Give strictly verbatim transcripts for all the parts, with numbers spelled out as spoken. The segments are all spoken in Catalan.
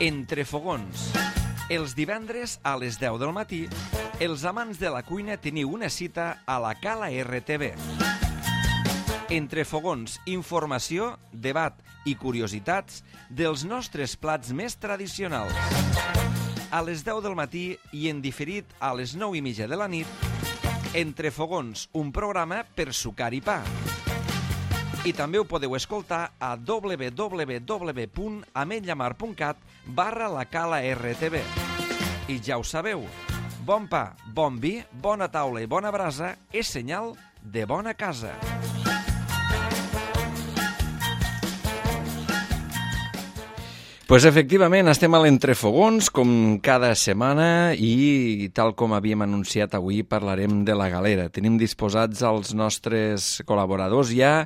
Entre fogons. Els divendres a les deu del matí, els amants de la cuina teniu una cita a la Cala R T V. Entre fogons, informació, debat i curiositats dels nostres plats més tradicionals. A les deu del matí i en diferit a les nou i mitja de la nit, Entre fogons, un programa per sucar i pa. I també ho podeu escoltar a w w w punt ametlllamar punt cat barra la Cala R T V. I ja ho sabeu, bon pa, bon vi, bona taula i bona brasa és senyal de bona casa. Pues efectivament, estem a l'Entrefogons, com cada setmana, i tal com havíem anunciat avui, parlarem de la galera. Tenim disposats els nostres col·laboradors ja.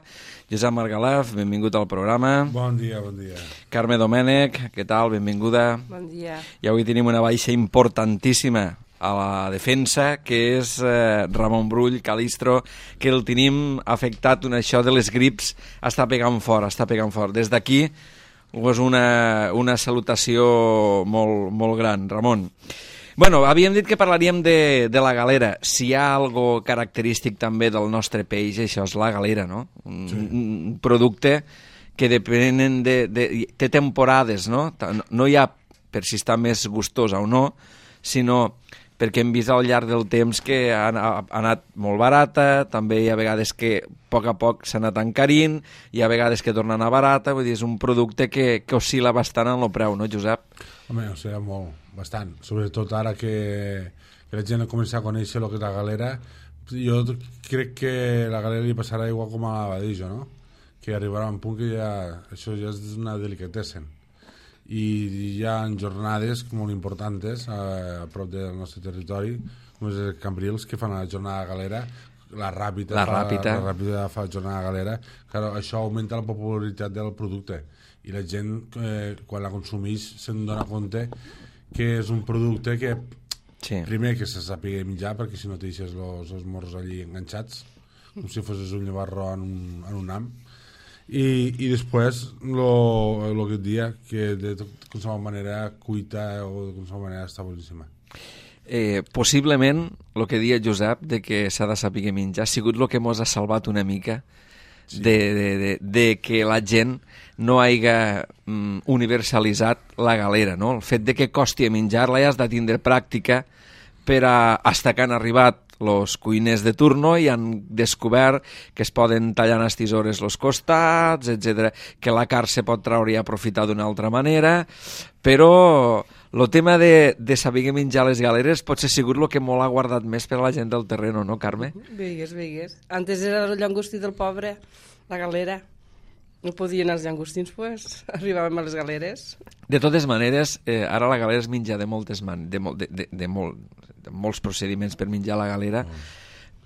Josep Margalaf, benvingut al programa. Bon dia, bon dia. Carme Domènech, què tal? Benvinguda. Bon dia. I avui tenim una baixa importantíssima a la defensa, que és eh, Ramon Brull, Calistro, que el tenim afectat, una, això de les grips, està pegant fort, està pegant fort. Des d'aquí, és una, una salutació molt, molt gran, Ramon. Bueno, havíem dit que parlaríem de, de la galera. Si hi ha algo característic també del nostre peix, això és la galera, no? Un, sí. un producte que depenen de, de... té temporades, no? No hi ha per si està més gustosa o no, sinó perquè hem vist al llarg del temps que ha, ha anat molt barata, també hi ha vegades que a poc a poc s'ha anat encarint, hi ha vegades que torna a anar barata, vull dir, és un producte que, que oscil·la bastant en el preu, no, Josep? Home, o sigui, molt, bastant. Sobretot ara que, que la gent ha començat a conèixer el que és la galera, jo crec que la galera li passarà igual com a l'abadillo, no? Que arribarà a un punt que ja, això ja és una delicatessen. I hi ha jornades molt importants a, a prop del nostre territori, com és el Cambrils, que fan la jornada galera, la Ràpita, la fa, Ràpita. la Ràpita fa jornada galera. Claro, això augmenta la popularitat del producte i la gent, eh, quan la consumeix, se'n dona compte que és un producte que, sí. Primer, que se sàpiga menjar, perquè si no te deixes els, els morros allí enganxats, com si fossis un llevarro en un, en un ham. I, i després lo, lo que et dia que de qualsevol manera cuita o de qualsevol manera està boníssima. Eh, possiblement el que dia Josep de que s'ha de saber menjar ha sigut el que mos ha salvat una mica, sí. de, de, de, de que la gent no haiga mm, universalitzat la galera, no? El fet de que costi menjar-la ja has de tindre pràctica per a, hasta que han arribat els cuiners de turno i han descobert que es poden tallar en les tisores els costats, etcètera, que la carn se pot treure i aprofitar d'una altra manera, però el tema de, de saber menjar les galeres pot ser sigut el que molt ha guardat més per a la gent del terreno, no, Carme? Veigues, veigues. Antes era el llangostí del pobre, la galera. No podien els llangostins, pues, arribàvem a les galeres. De totes maneres, eh, ara la galera es menja de moltes man de, de, de, de, molt, de molts procediments per menjar la galera, mm.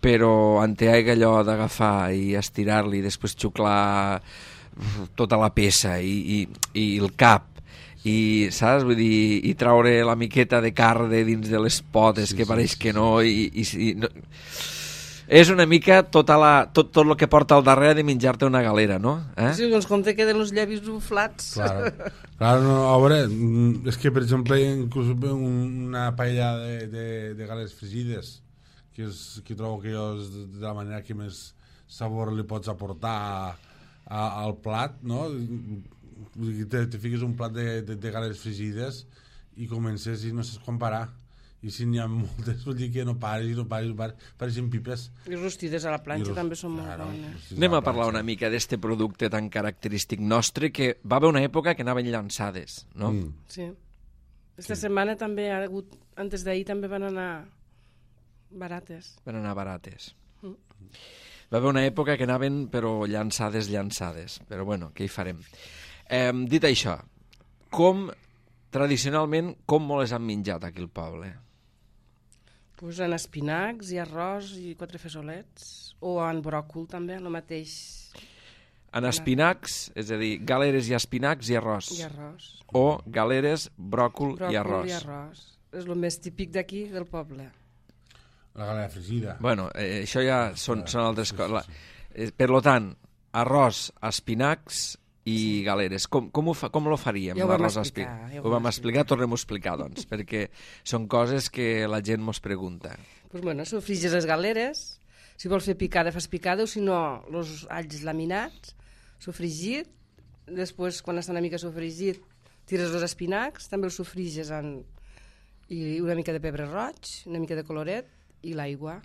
però en té allò d'agafar i estirar-li i després xuclar tota la peça i, i, i el cap i, saps? Vull dir, i traure la miqueta de carn de dins de les potes, sí, que pareix sí, que no, i, i, i no... És una mica tota la, tot, tot el que porta al darrere de menjar-te una galera, no? Eh? Sí, doncs com te queden els llavis buflats. Claro, claro, no, a veure, és que, per exemple, inclús una paella de, de, de galeres fregides, que, és, que trobo que és de la manera que més sabor li pots aportar a, a, al plat, no? Te, te fiques un plat de, de, de galeres fregides i comences i no saps com parar. I si n'hi ha moltes, vol dir que no pares i no pares, no pares, pareixen pipes. I rostides a la planxa també són molt claro, bones. Anem a parlar una mica d'este producte tan característic nostre, que va haver una època que anaven llançades, no? Mm. Sí. Esta sí. setmana també ha hagut, antes d'ahir també van anar barates. Van anar barates. Mm. Va haver una època que anaven, però llançades, llançades. Però bueno, què hi farem? Eh, dit això, com, tradicionalment, com molt les han menjat aquí al poble? Pues en espinacs i arròs i quatre fesolets, o en bròcol també, el mateix. En espinacs, és a dir, galeres i espinacs i arròs. I arròs. O galeres, bròcol, bròcol i arròs. i arròs. És el més típic d'aquí, del poble. La galera fregida. Bueno, eh, això ja són, són altres sí, coses. Sí, sí. Eh, per lo tant, arròs, espinacs i sí. galeres. Com, com, ho fa, com lo faríem? Ja ho vam explicar. Ja ho, ho vam explicar, tornem-ho a explicar, doncs, perquè són coses que la gent mos pregunta. Pues bueno, sofrigis les galeres, si vols fer picada, fas picada, o si no, els alls laminats, sofregit, després, quan està una mica sofregit, tires els espinacs, també els sofriges en... i una mica de pebre roig, una mica de coloret i l'aigua,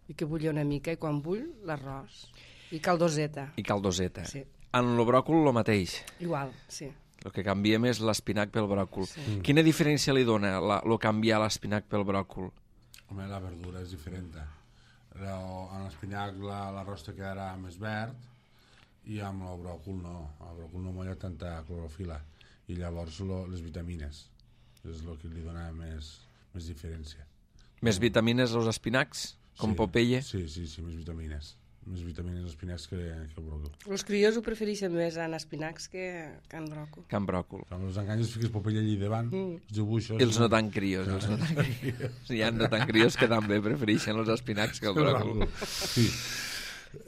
i que bulli una mica, i quan bull, l'arròs. I caldoseta. I caldoseta. Sí. En el bròcol, el mateix. Igual, sí. El que canviem és l'espinac pel bròcol. Sí. Mm. Quina diferència li dona la, lo canviar l'espinac pel bròcol? Home, la verdura és diferent. En l'espinac l'arròs te quedarà més verd i amb el bròcol no. El bròcol no molla tanta clorofila i llavors lo, les vitamines és el que li dona més, més diferència. Més vitamines als espinacs? Com sí, Popeye? Sí, sí, sí, més vitamines. Més vitamines als espinacs que, que el bròcol. Els crios ho prefereixen més en espinacs que, que en bròcol. Que en bròcol. Amb els enganyos fiques Popeye allí davant, mm. els dibuixos... I els no tan crios, els no tan crios. Hi ha no tan crios que també prefereixen els espinacs que el bròcol. Sí.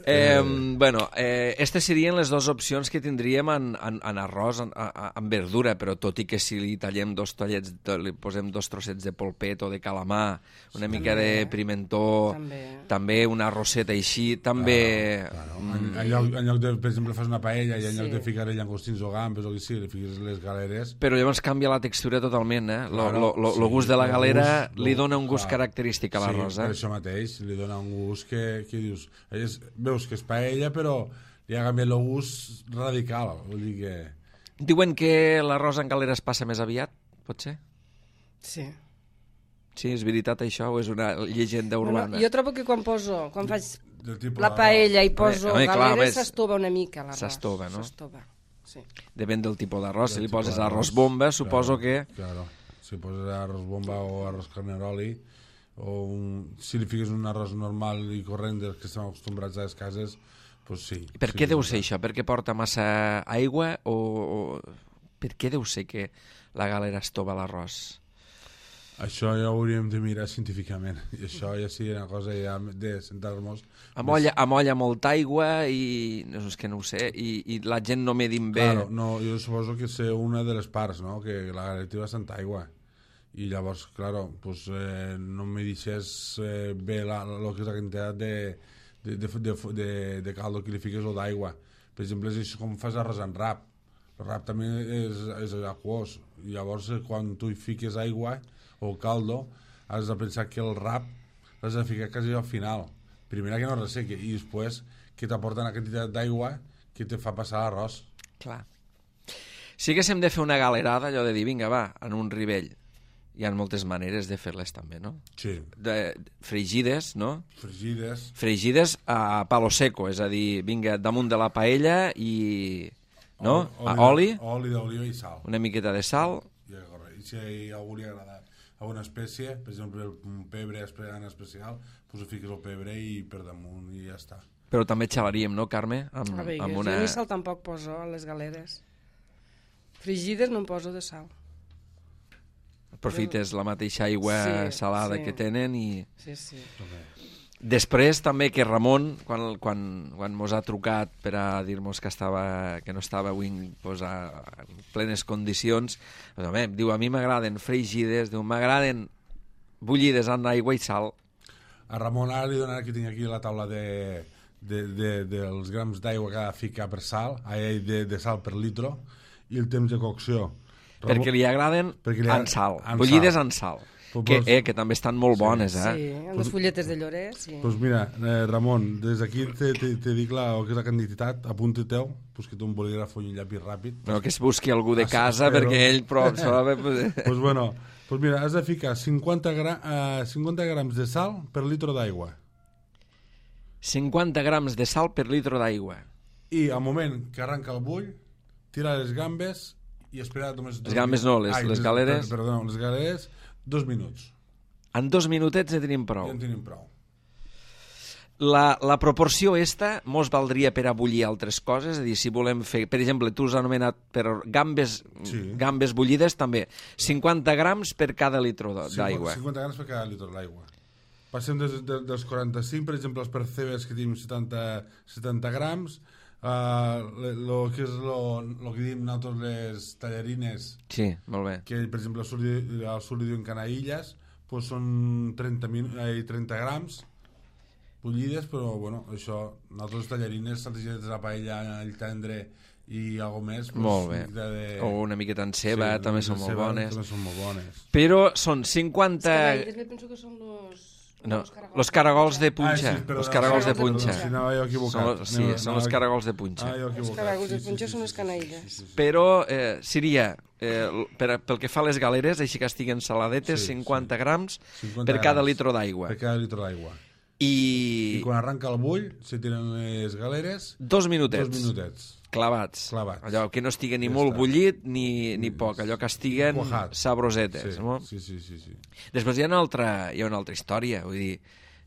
Eh, bueno, eh, aquestes serien les dues opcions que tindríem en, en, en arròs, en, en verdura, però tot i que si li tallem dos tallets, li posem dos trossets de polpet o de calamar, una sí, mica també, de pimentó, també. també una roseta així, també... Claro, claro. Mm. En, en, lloc, en lloc de, per exemple, fas una paella i en sí. lloc de ficar-hi llangostins o gambes o que sigui, li fiques les galeres... Però llavors canvia la textura totalment, eh? Lo, claro, lo, lo, sí, lo gust de la galera gust, li dona un gust clar. característic a l'arròs, sí, eh? per això mateix, li dona un gust que, que dius... És, veus que és paella, però li ha canviat el gust radical. Vull dir que... Diuen que l'arròs en galera es passa més aviat, pot ser? Sí. Sí, és veritat això o és una llegenda urbana? No, no, jo trobo que quan poso, quan faig la paella i poso home, home, galera, s'estova una mica l'arròs. S'estova, no? S'estova, sí. Depèn del tipus d'arròs. Si li poses arròs bomba, suposo claro, que... Claro, si poses arròs bomba o arròs carneroli, o un, si li fiques un arròs normal i corrent dels que estem acostumbrats a les cases, doncs sí. Per sí, què deu sí, ser això? Perquè porta massa aigua o, o per què deu ser que la galera estova l'arròs? Això ja ho hauríem de mirar científicament i això ja sí una cosa ja de sentar-nos amolla, més... amolla molta aigua i no és que no ho sé i, i la gent no medim bé claro, no, jo suposo que és una de les parts, no? Que la galera té bastanta aigua i llavors, claro, pues, eh, no me deixes eh, bé la, lo que és la quantitat de, de, de, de, de, de caldo que li fiques o d'aigua. Per exemple, és com fas arròs en rap. El rap també és, és aquós. I llavors, quan tu hi fiques aigua o caldo, has de pensar que el rap l'has de ficar quasi al final. Primera que no ressequi i després que t'aporta una quantitat d'aigua que te fa passar l'arròs. Clar. Si haguéssim de fer una galerada, allò de dir, vinga, va, en un ribell, hi ha moltes maneres de fer-les també, no? Sí. De, fregides, no? Fregides. Fregides a palo seco, és a dir, vinga, damunt de la paella i... no? Oli, a oli. Oli d'oliva i sal. Una miqueta de sal. I, i si a algú li agrada alguna espècie, per exemple, un pebre en especial, doncs ho fiques el pebre i per damunt i ja està. Però també xalaríem, no, Carme? Amb, a veure, amb una... jo ni sal tampoc poso a les galeres. Fregides no em poso de sal. Aprofites la mateixa aigua sí, salada sí. que tenen i... Sí, sí. Després també que Ramon, quan, quan, quan mos ha trucat per a dir-nos que, estava, que no estava avui pues, a, en plenes condicions, pues, home, diu, a mi m'agraden fregides, diu, m'agraden bullides en aigua i sal. A Ramon ara li donaré que tinc aquí la taula de, de, de, dels grams d'aigua que ha de ficar per sal, de, de sal per litro, i el temps de cocció. Ramon, perquè li agraden perquè li ha... en sal, en bullides sal. en sal. Que, eh, que també estan molt bones, sí. eh? Sí, amb les fulletes de llorer, sí. Doncs pues mira, eh, Ramon, des d'aquí te, te, te dic la, que és la quantitat, apunta-teu, pues que tu un bolígraf o un llapis ràpid. No, que es busqui algú de casa, ah, perquè ell prou... Doncs pues bueno, pues mira, has de ficar cinquanta, gra, uh, cinquanta grams de sal per litro d'aigua. cinquanta grams de sal per litro d'aigua. I al moment que arranca el bull, tira les gambes i espera només... Les gambes no, les, Ai, les galeres... Les, perdó, les galeres... Dos minuts. En dos minutets ja tenim prou. Ja en tenim prou. La, la proporció esta mos valdria per a bullir altres coses, és a dir, si volem fer, per exemple, tu has anomenat per gambes, sí. gambes bullides també, cinquanta grams per cada litre d'aigua. cinquanta grams per cada litre d'aigua. Passem des, de, dels quaranta-cinc, per exemple, els percebes que tenim setanta, setanta grams, uh, que és el que diem nosaltres les tallarines. Sí, molt bé. Que, per exemple, al sud li diuen canaïlles, doncs són trenta, eh, trenta grams bullides, però, bueno, això, nosaltres tallarines, saltegides de la paella, el tendre i algo més. Pues, molt bé. De... O una miqueta en ceba, sí, també són molt ceba, bones. També són molt bones. Però són cinquanta... Els canaïlles, penso que són los... No, los caragols de punxa. Ah, sí, los caragols de punxa. Si no, m'he equivocat. Són, sí, són els caragols de punxa. Ah, els caragols de punxa són les canaïlles. Sí, sí, sí. Però eh, seria, eh, per, pel que fa a les galeres, així que estiguen saladetes, sí, cinquanta sí. grams cinquanta per cada litro d'aigua. Per cada litro d'aigua. I... I quan arranca el bull, se tiren les galeres... Dos minutets. Dos minutets. Clavats. Clavats. Allò que no estigui ni ja molt està. bullit ni, ni poc, allò que estiguen Cuajat. sabrosetes. Sí, no? sí, sí, sí, sí. Després hi ha una altra, hi ha una altra història, vull dir,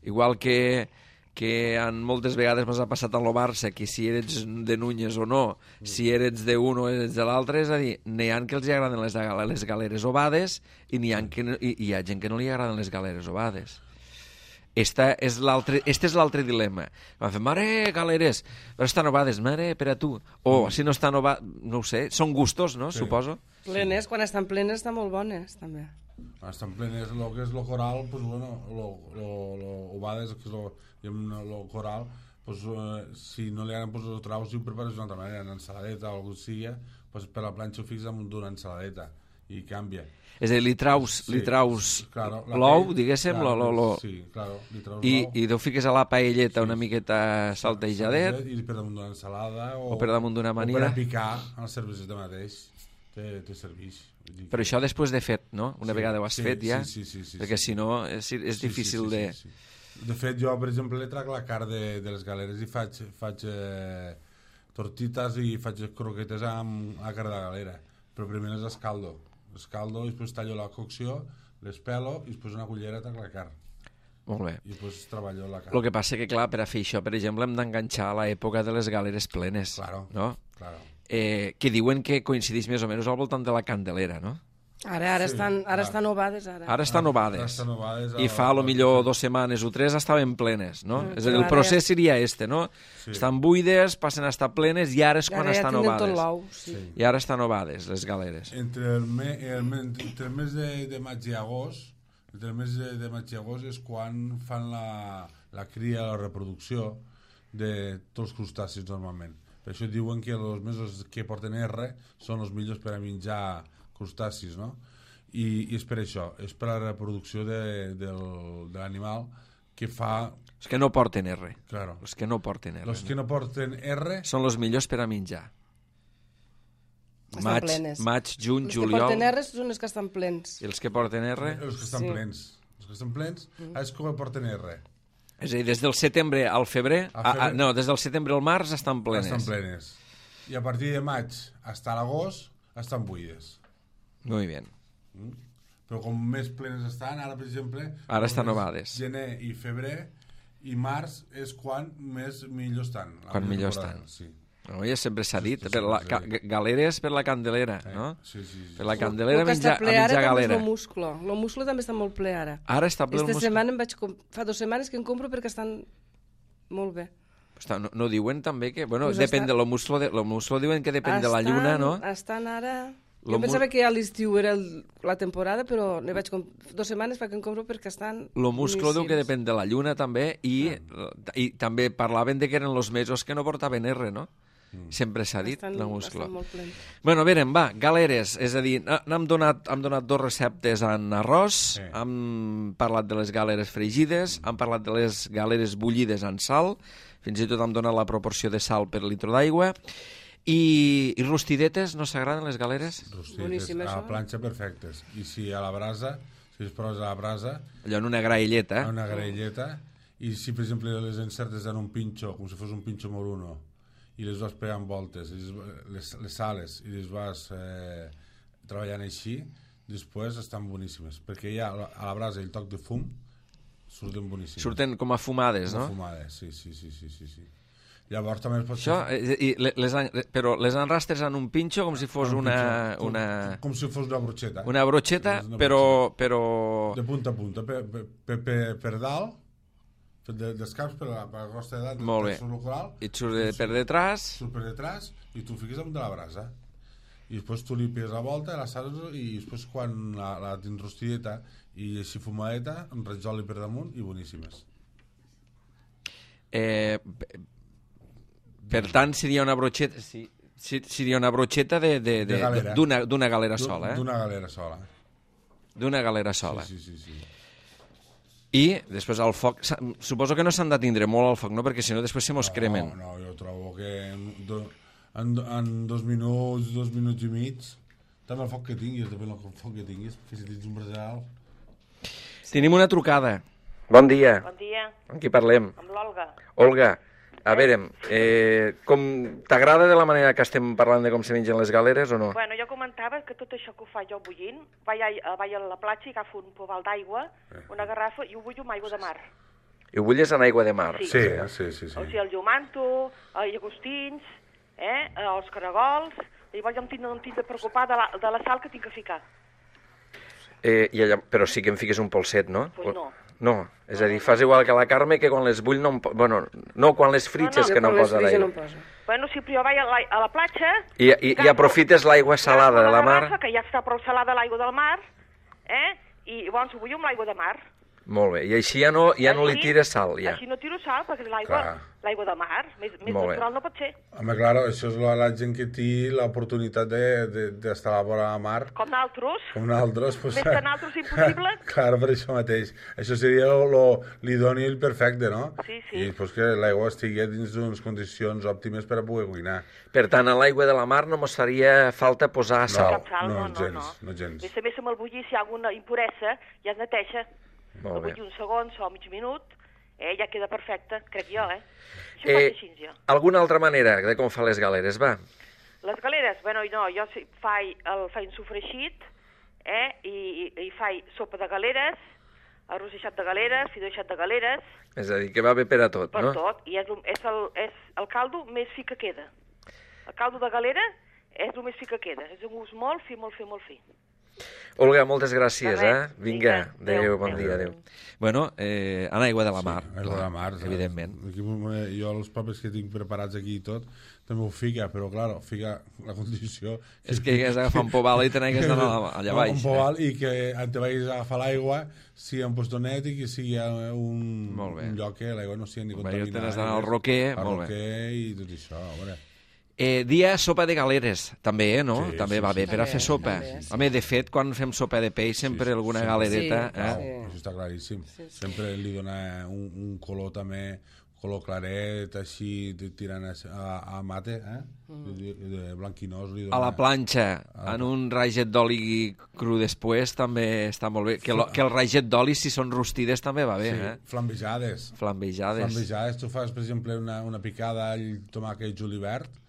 igual que, que en moltes vegades m'ha passat en el Barça, que si eres de Núñez o no, mm. si eres d'un o eres de l'altre, és a dir, n'hi ha que els agraden les, les galeres ovades i n'hi ha, que no, i, hi ha gent que no li agraden les galeres ovades. Esta és l'altre, este és l'altre dilema. Vam fer, mare, galeres, però estan ovades, mare, per a tu. O, mm. si no estan ovades, no ho sé, són gustos, no?, sí. Suposo. Plenes, quan estan plenes estan molt bones, també. Quan estan plenes, el que és el coral, pues bueno, lo, lo, lo ovades, que és lo, lo coral, pues, eh, si no li agraden, pues lo traus i ho prepares d'una altra manera, en ensaladeta o alguna cosa sigui, pues per la planxa ho fixes damunt d'una ensaladeta i canvia. És a dir, li traus, sí, li traus claro, l'ou, diguéssim, claro, lo, lo, lo, sí, claro, li traus i, l'ou. i ho fiques a la paelleta sí, una miqueta saltejadet. I per damunt d'una ensalada o, o per damunt d'una amanida. O per a picar en els cerveses de mateix, te, te serveix. Però això després de fet, no? Una sí, vegada ho has sí, fet ja, sí, sí, sí, sí, perquè sí. si no és, és sí, difícil sí, sí, de... Sí, sí. De fet, jo, per exemple, li trac la carn de, de les galeres i faig, faig eh, tortitas i faig croquetes amb la carn de galera. Però primer les escaldo. Escaldo i després tallo la cocció, les pelo i després una cullera trac la carn. Molt bé. I després treballo la carn. El que passa que, clar, per a fer això, per exemple, hem d'enganxar a l'època de les galeres plenes. Claro, no? claro. Eh, que diuen que coincideix més o menys al voltant de la Candelera, no? Ara, ara, sí, estan, ara clar. estan ovades, ara. Ara estan ovades. Ara estan ovades I fa, a lo millor, dos setmanes o tres estaven plenes, no? Mm, és a dir, el procés seria este, no? Sí. Estan buides, passen a estar plenes i ara és quan ara ja estan ovades. Tot l'ou, sí. Sí. I ara estan ovades, les galeres. Entre el, me, el, entre el mes de, de maig i agost, entre el mes de, de maig i agost és quan fan la, la cria, la reproducció de tots els crustacis normalment. Per això diuen que els mesos que porten R són els millors per a menjar crustacis, no? I, i és per això, és per la reproducció de, del, de l'animal que fa... Els que no porten R. Claro. Els que no porten R. Els que no porten R... Són els millors per a menjar. Estan Maig, plenes. maig, juny, els juliol... Els que porten R són els que estan plens. I els que porten R... Els que estan sí. plens. Els que estan plens mm. és com porten R. És a dir, des del setembre al febrer... A febrer... A, a, no, des del setembre al març estan plenes. Estan plenes. I a partir de maig fins a l'agost estan buides. Molt bé. Mm? Però com més plenes estan, ara per exemple... Ara estan ovades. Gener i febrer i març és quan més millor estan. Quan millor estan. Sí. No, ja sempre s'ha dit, sí, per la, ca, galeres per la Candelera, eh? no? Sí, sí, sí. Per la Candelera el que menjar, està ple a ara menjar galera. El musclo. El musclo també està molt ple ara. Ara està ple el musclo. Setmana em vaig fa dues setmanes que en compro perquè estan molt bé. Està, no, no diuen també que... Bueno, pues depèn estan... de lo musclo, de, lo musclo diuen que depèn estan, de la lluna, no? Estan ara... Lo jo pensava que ja l'estiu era el, la temporada, però ne vaig comp... dues setmanes fa que en compro perquè estan... Lo musclo diu que depèn de la lluna també i, ah. i també parlaven de que eren els mesos que no portaven R, no? Mm. Sempre s'ha dit, estan, la musclo. Estan molt plens. Bueno, verem, va, galeres, és a dir, n'hem donat, hem donat dos receptes en arròs, sí. Hem parlat de les galeres fregides, mm. hem parlat de les galeres bullides en sal, fins i tot hem donat la proporció de sal per litre d'aigua. I, i rostidetes, no s'agraden les galeres? Rostidetes, a la planxa perfectes. I si a la brasa, si es posa a la brasa... Allò en una graelleta. En una graelleta. I si, per exemple, les encertes en un pinxo, com si fos un pinxo moruno, i les vas pegant voltes, les, les, les sales, i les vas eh, treballant així, després estan boníssimes. Perquè ja a la brasa i el toc de fum surten boníssimes. Surten com a fumades, com no? Com a fumades, sí, sí, sí, sí, sí, sí. Llavors també es pot Això, fer... i les, però les enrastres en un pinxo com si fos un una, pinxo, una... Com, com si fos una brocheta. Una brocheta, una però, brocheta. però... De punta a punta, per, per, per, per dalt fet de, d'escaps per la, per la crosta de dalt. Molt bé. I et surt de, per detrás. Surt per detrás i tu fiques damunt de la brasa. I després tu li pegues la volta la sals, i després quan la, la tens rostideta i així fumadeta, amb raig per damunt i boníssimes. Eh, per tant, seria una brocheta... Sí. Seria una brocheta de, de, de, de d'una, d'una galera sola, eh? D'una galera sola. D'una galera sola. Sí, sí, sí, sí. I després al foc... Suposo que no s'han de tindre molt al foc, no? Perquè si no després se mos no, cremen. No, no, jo trobo que en, do, en, en dos minuts, dos minuts i mig, també el foc que tinguis, depèn del foc que tinguis, que si tens un braçal... Tenim una trucada. Bon dia. Bon dia. Amb qui parlem? Amb l'Olga. Olga. A veure, eh, com t'agrada de la manera que estem parlant de com se mengen les galeres o no? Bueno, jo comentava que tot això que ho fa jo bullint, vaig a, vaig a la platja i agafo un pobal d'aigua, una garrafa, i ho bullo amb aigua de mar. I ho bulles en aigua de mar? Sí, sí, sí. sí, sí. O sigui, el llomanto, els llagostins, eh, els caragols, llavors jo em tinc, em tinc de preocupar de la, de la sal que tinc que ficar. Eh, i allà, però sí que em fiques un polset, no? Pues no. No, és a dir, fas igual que la Carme, que quan les bull no em... Bueno, no, quan les fritges, no, no. que no posa l'aigua. No bueno, si jo vaig a la, a la platja... I, i, i aprofites l'aigua salada de la mar... Garrafa, que ja està prou salada l'aigua del mar, eh? I llavors ho bullo amb l'aigua de mar. Molt bé, i així ja no, ja no li tires sal, ja. Així no tiro sal, perquè l'aigua l'aigua de mar, més, més natural no pot ser. Home, clar, això és la, la gent que té l'oportunitat d'estar de, de, a la vora de la mar. Com naltros. Com naltros. Pues, més que naltros impossible. Clar, per això mateix. Això seria l'idoni i el perfecte, no? Sí, sí. I després que l'aigua estigui dins d'unes condicions òptimes per a poder cuinar. Per tant, a l'aigua de la mar no mos faria falta posar sal. No, sal, no, no, gens, no. no gens. A més, amb el bullir, si hi ha alguna impuresa, ja es neteja. Molt bé. Un segon o mig minut, eh, ja queda perfecte, crec jo, eh? Això eh, ho faig així, jo. Alguna altra manera de com fa les galeres, va? Les galeres, bueno, no, jo faig el faig sofregit, eh, i, i, i faig sopa de galeres, arròs eixat de galeres, fideu eixat de galeres... És a dir, que va bé per a tot, per no? Per tot, i és, és, el, és el caldo més fi que queda. El caldo de galera és el més fi que queda, és un gust molt fi, molt fi, molt fi. Olga, moltes gràcies, eh? Vinga, adéu, bon adéu. dia, adéu. Bueno, eh, en aigua de la mar. Sí, aigua de la mar, evidentment. Aquí, jo els papers que tinc preparats aquí i tot, també ho fica, però, clar, fica la condició... És que hagués d'agafar un pobal i te n'hagués d'anar allà baix. Un pobal, eh? I que te vagis a agafar l'aigua, sigui un postonet i que sigui un, un lloc que l'aigua no sigui ni contaminada. Te n'has d'anar al roquer, molt bé. Al roquer i tot això, a veure... Eh, dia sopa de galeres, també, eh, no? Sí, també sí, va bé sí, per a fer sopa. també, sí. Home, de fet, quan fem sopa de peix, sempre sí, sí, alguna sí, galereta... sí, eh? Sí. Això està claríssim. Sí, sí. Sempre li dona un, un color també, color claret, així, tirant a, a mate, eh? Mm. De, de blanquinós. Li dona... A la planxa, a... en un raget d'oli cru després, també està molt bé. Que, lo, que el raget d'oli, si són rostides, també va bé, sí, eh? Flambejades. Flambejades. Flambejades. Tu fas, per exemple, una, una picada all, tomàquet, julivert,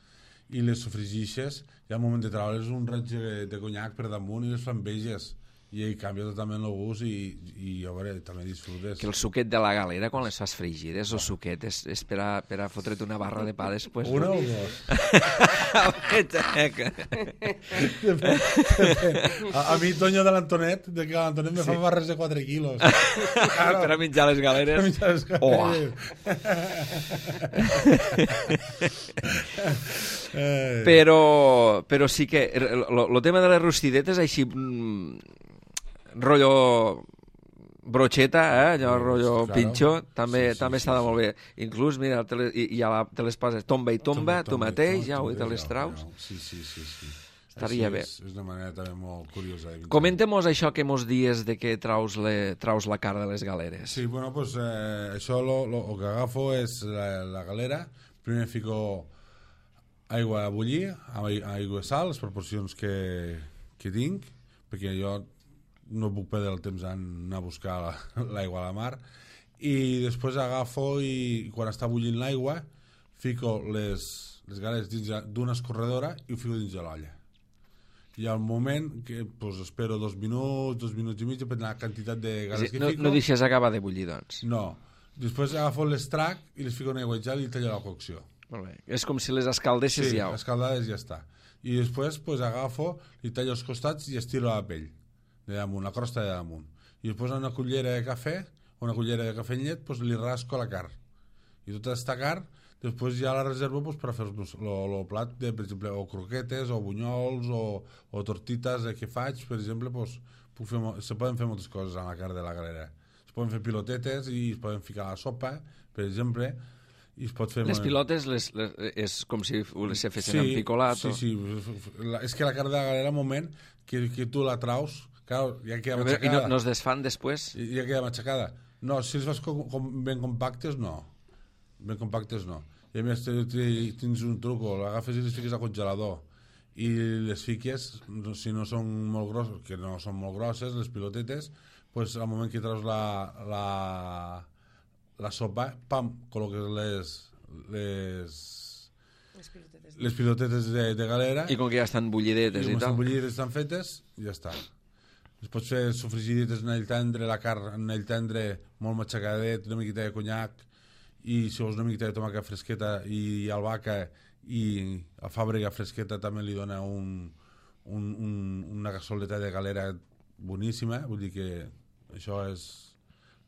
i les sofregixes, i al moment de treure's un raig de, de conyac per damunt i les flambeges, i ell canvia totalment el gust i, i a veure, també disfrutes. Que el suquet de la galera, quan les fas fregides, el suquet és, és per, a, per a fotre't una barra de pa després. Una no? o dos? a, a mi, Toño de l'Antonet, de que l'Antonet me sí. fa barres de quatre quilos. Claro. Per a menjar les galeres. Per a menjar les galeres. Oh. però, però sí que el tema de les rostidetes així mm, rotllo brocheta, eh? Allò rotllo claro. Pinxo, també, sí, sí, també sí, està sí. molt bé. Inclús, mira, te les, i, i la, te les poses tomba i tomba, tomba tu tomba, mateix, tomba, ja ho te les traus. Sí, sí, sí, sí. Estaria és, bé. És una manera també molt curiosa. Comente-mos això que mos dies de que traus, le, traus la cara de les galeres. Sí, bueno, pues eh, això lo, lo, lo que agafo és la, la galera, primer fico aigua a bullir, aigua i sal, les proporcions que, que tinc, perquè jo no puc perdre el temps en anar a buscar l'aigua a la mar, i després agafo i quan està bullint l'aigua fico les, les galeres dins d'una escorredora i ho fico dins de l'olla. I al moment que pues, espero dos minuts, dos minuts i mig, depèn de la quantitat de galeres sí, que no, fico. No deixes acabar de bullir, doncs? No. Després agafo l'estrac i les fico en aigua i gel i tallo la cocció. Molt bé. És com si les escaldessis sí, ja. Sí, escaldades ja està. I després pues, agafo, li tallo els costats i estiro la pell de damunt, la crosta de damunt. I després una cullera de cafè una cullera de cafè amb llet, pues, li rasco la carn. I tota aquesta carn, després ja la reservo pues, per fer el plat, de, per exemple, o croquetes, o bunyols, o, o tortites eh, que faig, per exemple, pues, puc fer, se poden fer moltes coses amb la carn de la galera. Es poden fer pilotetes i es poden ficar a la sopa, per exemple, i es pot fer... Les pilotes les, les, és com si les fessin sí, en picolat. Sí, o... sí, la, és que la carn de la galera, al moment que, que tu la traus, clar, ja queda matxacada. I no, no es desfan després? Ja queda matxacada. No, si les fas com, com ben compactes, no. Ben compactes, no. I a més, tens un truco, l'agafes i les fiques al congelador i les fiques, si no són molt grosses, que no són molt grosses, les pilotetes, pues, al moment que traus la... la la sopa, pam, col·loques les les les pilotetes, les pilotetes de, de galera i com que ja estan bullidetes i, i tal estan bullidetes, estan fetes, ja està. Es pots fer sofregidetes en el tendre, la carn en el tendre molt matxacadet, una miqueta de conyac i si vols una miqueta de tomàquet fresqueta i albahaca i a fàbrica fresqueta també li dona un, un, un, una cassoleta de galera boníssima, vull dir que això és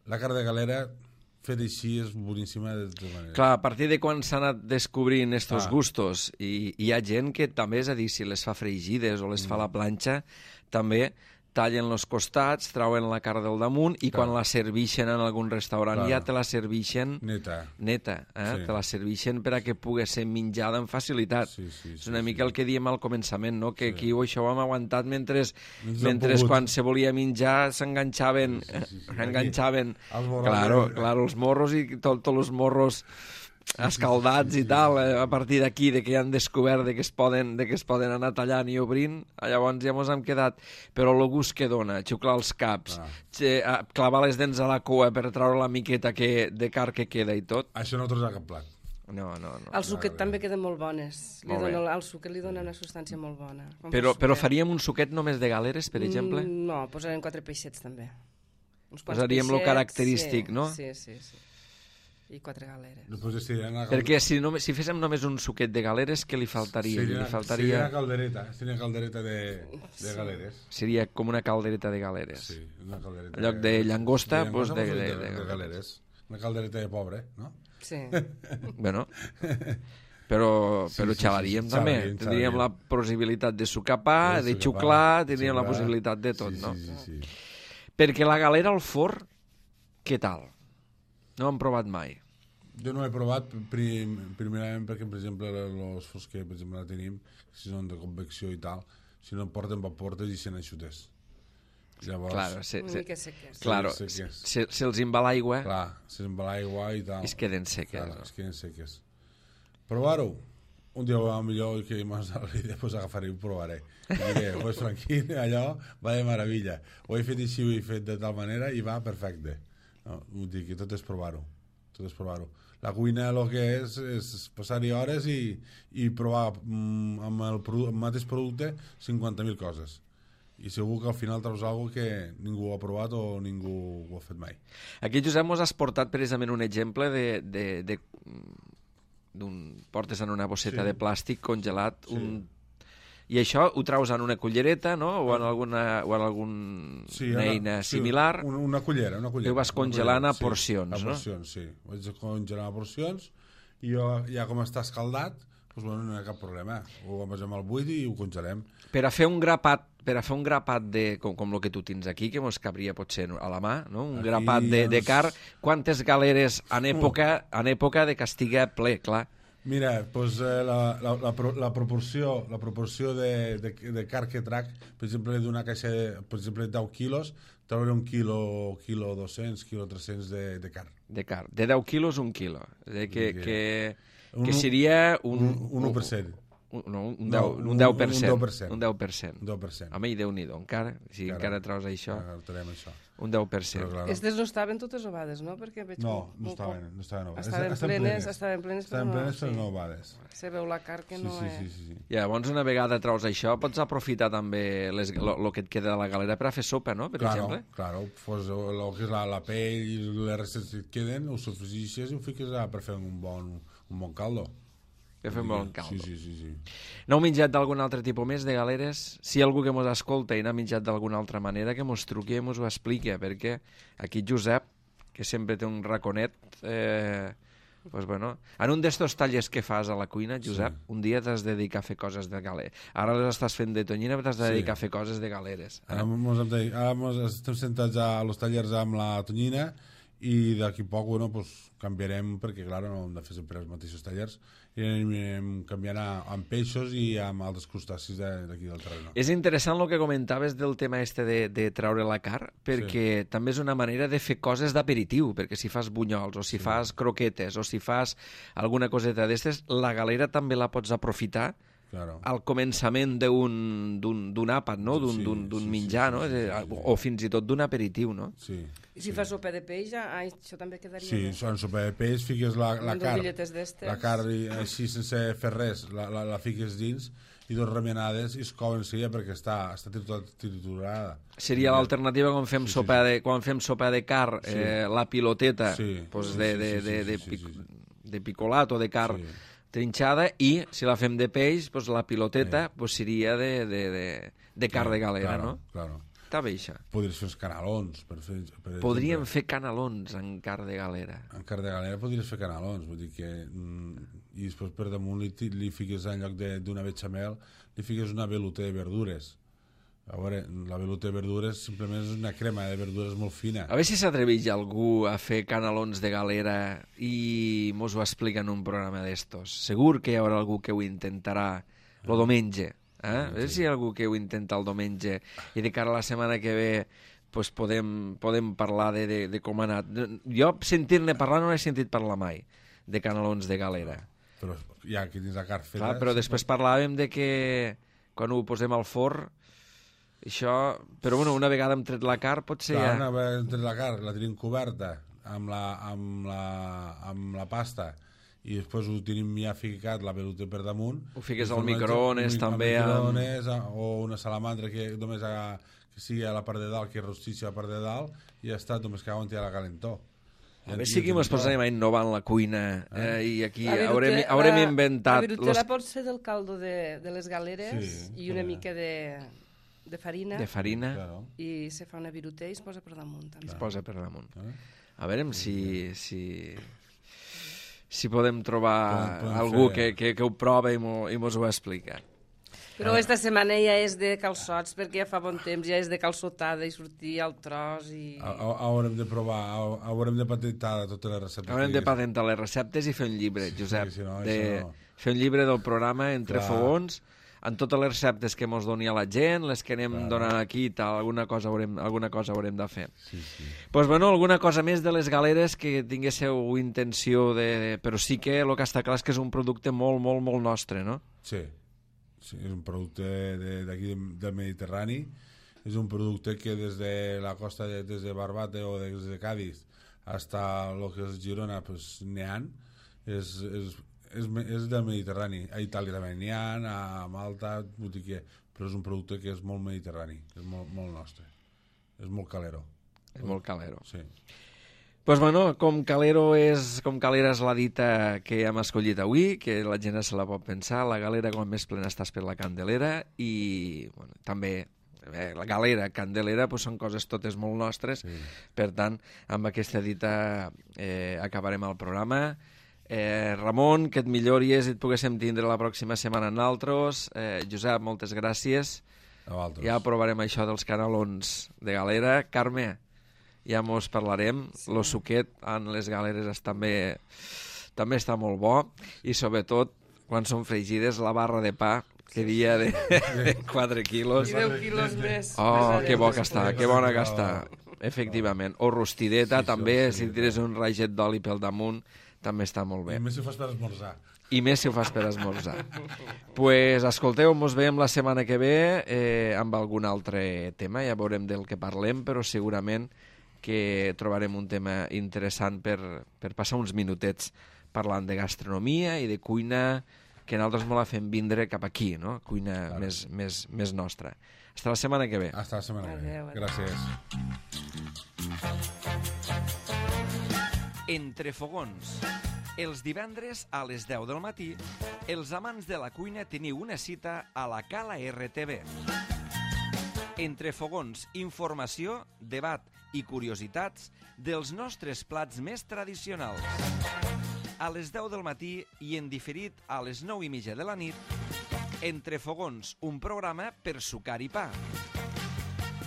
la carn de galera fet així és boníssima de tota manera. Clar, a partir de quan s'han anat descobrint estos ah. gustos i hi ha gent que també, és a dir, si les fa fregides o les mm. fa a la planxa, també tallen els costats, trauen la carn del damunt i clar. Quan la servixen en algun restaurant clar. Ja te la servixen neta, neta eh? Sí. Te la servixen per a que pugui ser menjada amb facilitat. Sí, sí, sí, és una sí, mica sí. el que diem al començament, no? Que sí. Aquí això ho hem aguantat mentre, mentre, mentre quan se volia menjar s'enganxaven sí, sí, sí, sí. s'enganxaven claro, claro, els morros i tots tot els morros escaldats sí, sí, sí, i tal, eh, a partir d'aquí de que ja han descobert de que es poden, de que es poden anar tallant i obrint, llavors ja mos hem quedat, però el gust que dona, xuclar els caps, ah. clavar les dents a la cua per treure la miqueta que, de carn que queda i tot. Això no trobarà cap plat. No, no, no. El suquet també queden molt bones. Li molt dona, el suquet li dona una substància molt bona. Però, però faríem un suquet només de galeres, per exemple? Mm, no, posarem quatre peixets també. Uns posaríem el característic, sí, no? Sí, sí, sí. I quatre galeres. Gal... Perquè si, no, si féssim només un suquet de galeres, què li faltaria? Seria, li faltaria... seria caldereta, seria caldereta de, de galeres. Seria com una caldereta de galeres. Sí, una caldereta. En lloc de llangosta, de, pues de, de, de, de, de galeres. Una caldereta de pobre, no? Sí. Bueno, però, però sí, xalaríem sí, sí, també. Xalaríem, tindríem xalaríem. La possibilitat de sucar pa, de, de xuclar, tindríem xuclar. La possibilitat de tot, sí, no? Sí, sí, sí. Perquè la galera al forn, què tal? No ho hem provat mai. Jo no he provat prim, primerament perquè, per exemple, els forns que per exemple, la tenim, si són de convecció i tal, si no porten vaportes i sent eixutes. Llavors... Claro, se, una mica seques. Claro, seques. Se, se els embala aigua... Clar, se embala aigua i tal. I es queden seques. Clar, no? Es queden seques. Provar-ho. Un dia a millor que m'has i després agafaré i ho provaré. I diré, pues tranquil, allò va de meravella. Ho he fet així, ho he fet de tal manera i va perfecte. No, vull dir que tot és provar-ho. Tot és provar-ho. La cuina el que és és passar-hi hores i, i provar mm, amb el, el mateix producte cinquanta mil coses. I segur que al final treus alguna cosa que ningú ha provat o ningú ho ha fet mai. Aquí, Josep, mos has portat precisament un exemple de... de, de d'un portes en una bosseta sí. De plàstic congelat sí. un... I això ho traus en una cullereta, no? O en alguna, o en algun sí, una eina sí, similar. Una, una cullera, una cullera. I ho vas congelant a porcions, sí, no? A porcions, sí. Ho vaig congelar a porcions i jo, ja com està escaldat, doncs, bueno, no hi ha cap problema. Ho posem al buit i ho congelem. Per a fer un grapat, per a fer un grapat de, com, com el que tu tens aquí, que mos cabria potser a la mà, no? Un aquí grapat de, de carn, quantes galeres en època, en època de que estigui ple, clar. Mira, doncs, eh, la, la, la, la proporció, la proporció de, de, de carn que trac, per exemple, d'una caixa de, per exemple, deu quilos, treure un quilo, quilo dos-cents, quilo tres-cents de, de carn. De carn. De deu quilos, un quilo. Que, que, que, un, que seria un... Un, un u per cent. Un, no, un, deu, no, un deu per cent. Un deu per cent. Un deu per cent. Un deu per cent. Home, i Déu-n'hi-do, encara. Si encara, encara traus això. Encara això. Un deu per cent. Claro. Estes no estaven totes ovades, no? Perquè veig no, no estaven, no estaven ovades. Estaven plenes, estaven plenes, estaven però plenes, no, però sí. no ovades. Se veu la carn que sí, no sí, és... Sí, sí, sí. I llavors, una vegada traus això, pots aprofitar també el que et queda de la galera per a fer sopa, no? Per claro, exemple. Claro, pues, el que és la, la pell i les restes que et queden, ho sofregixes i ho fiques a, per fer un bon, un bon caldo. Que fem bon caldo. Sí, sí, sí, sí. No heu menjat d'algun altre tipus més de galeres? Si hi ha algú que mos escolta i n'ha menjat d'alguna altra manera, que mos truqui i mos ho expliqui, perquè aquí Josep que sempre té un raconet, eh, pues bueno, en un d'estos tallers que fas a la cuina, Josep, sí. un dia t'has de dedicar a fer coses de galer. Ara les estàs fent de tonyina, però t'has de dedicar sí. a fer coses de galeres. Eh? Ara, mos hem de, ara mos estem sentats a los tallers amb la tonyina i d'aquí poc, bueno, pues, canviarem, perquè, clar, no hem de fer sempre els mateixos tallers, i anirem canviant amb peixos i amb altres crustacis d'aquí del terreny. És interessant el que comentaves del tema este de, de treure la carn, perquè sí. també és una manera de fer coses d'aperitiu, perquè si fas bunyols, o si sí. fas croquetes, o si fas alguna coseta d'estes, la galera també la pots aprofitar claro. al començament d'un àpat, no? d'un sí, sí, menjar, sí, no? Sí, sí, sí. o fins i tot d'un aperitiu. No? Sí. I si sí. fas sopa de peix, ai, això també quedaria sí, bé. Sí, en sopa de peix fiques la, la carn, la carn així sense fer res, la, la, la fiques dins i dos remenades i es couen seguida perquè està, està triturada. Seria l'alternativa quan fem sí, sopa sí, sí. de quan fem sopa de carn, sí. eh, la piloteta sí. pues de, de, de, de, de, pic, de picolat o de carn sí. trinxada, i si la fem de peix, pues la piloteta sí. pues seria de, de, de, de carn sí, de galera, claro, no? Claro. Està bé, això. Podries fer uns canalons. Per fer, per Podríem exemple. fer canalons en carn de galera. En carn de galera podries fer canalons, vull dir que... Mm, i després per damunt li, li fiques, en lloc d'una bechamel, li fiques una veluta de verdures. A veure, la veluta de verdures simplement és una crema de verdures molt fina. A veure si s'atreveix algú a fer canalons de galera i mos ho explica en un programa d'estos. Segur que hi haurà algú que ho intentarà el diumenge. Eh? A veure si hi ha algú que ho intenta el diumenge i de cara a la setmana que ve pues podem, podem parlar de, de, de com ha anat. Jo sentir-ne parlar no he sentit parlar mai de canalons de galera. Però ja aquí dins la carn feta... Clar, però després parlàvem de que quan ho posem al forn això... Però bueno, una vegada hem tret la carn potser Clar, ja... una vegada hem tret la carn, la tenim coberta amb la, amb la, amb la pasta i després ho tenim ja ficat la veluta per damunt. Ho fiques al microones també. Al microones amb... o una salamandra que només ha, que sigui a la part de dalt, que rostixi a la part de dalt i ja està, només que on hi ha la calentor. A veure si aquí ens posarem a innovar en la cuina eh, i aquí virute, haurem, haurem la, inventat... La virutela los... pot ser del caldo de, de les galeres sí, i una sí. mica de, de farina. De farina. Claro. I se fa una virutella i es posa per damunt. També. Es posa per damunt. Eh? A veure si... si... si podem trobar podem, podem algú que, que, que ho prova i mos ho explica. Però esta setmana ja és de calçots, perquè ja fa bon temps, ja és de calçotada i sortir al tros i... Haurem de provar, haurem de patentar totes les receptes. Haurem de patentar les receptes i fer un llibre, Josep. Sí, sí, no, de... no. Fer un llibre del programa Entre Clar. Fogons, en totes les receptes que mos doni a la gent, les que anem Clar. donant aquí i tal, alguna cosa haurem, alguna cosa haurem de fer. Sí, sí. Pues bueno, alguna cosa més de les galeres que tinguéssiu intenció de... Però sí que el que està clar és que és un producte molt, molt, molt nostre, no? Sí. Sí, és un producte d'aquí de, del Mediterrani, és un producte que des de la costa, de, des de Barbate o des de Cádiz fins a lo que és Girona, pues, n'hi ha, és, és, és, és del Mediterrani. A Itàlia també n'hi ha, a Malta, que, però és un producte que és molt mediterrani, és molt, molt nostre, és molt calero. És molt calero. Sí. Pues bueno, com calero és, com calera és la dita que hem escollit avui, que la gent se la pot pensar, la galera quan més plena estàs per la candelera, i bueno, també eh, la galera, candelera, pues són coses totes molt nostres, sí. Per tant, amb aquesta dita eh, acabarem el programa. Eh, Ramon, que et millories i et poguéssim tindre la pròxima setmana en altres. Eh, Josep, moltes gràcies. Ja provarem això dels canalons de galera. Carme, ja mos parlarem, sí. Lo suquet en les galeres és també, també està molt bo, i sobretot quan són fregides la barra de pa que dia de, de quatre quilos i deu quilos més. Oh, que bo que està, que bona que està, efectivament. O rostideta sí, també, sí, si tires un raget d'oli pel damunt també està molt bé. I més si ho fas per esmorzar. I més si ho fas per esmorzar. Pues escolteu, mos veiem la setmana que ve eh, amb algun altre tema, ja veurem del que parlem, però segurament que trobarem un tema interessant per, per passar uns minutets parlant de gastronomia i de cuina, que nosaltres me la fem vindre cap aquí, no? Cuina claro. més, més, més nostra. Hasta la setmana que ve. Hasta la setmana que ve. Gràcies. Entre fogons. Els divendres a les deu del matí, els amants de la cuina teniu una cita a la Cala R T V. Entre fogons, informació, debat i curiositats dels nostres plats més tradicionals. A les deu del matí i en diferit a les nou i mitja de la nit, Entre Fogons, un programa per sucar i pa.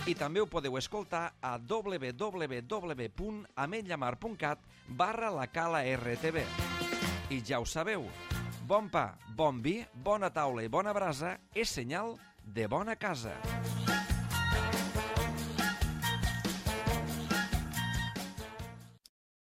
I també ho podeu escoltar a w w w punt ametlllamar punt cat barra la cala R T V. I ja ho sabeu, bon pa, bon vi, bona taula i bona brasa és senyal de bona casa.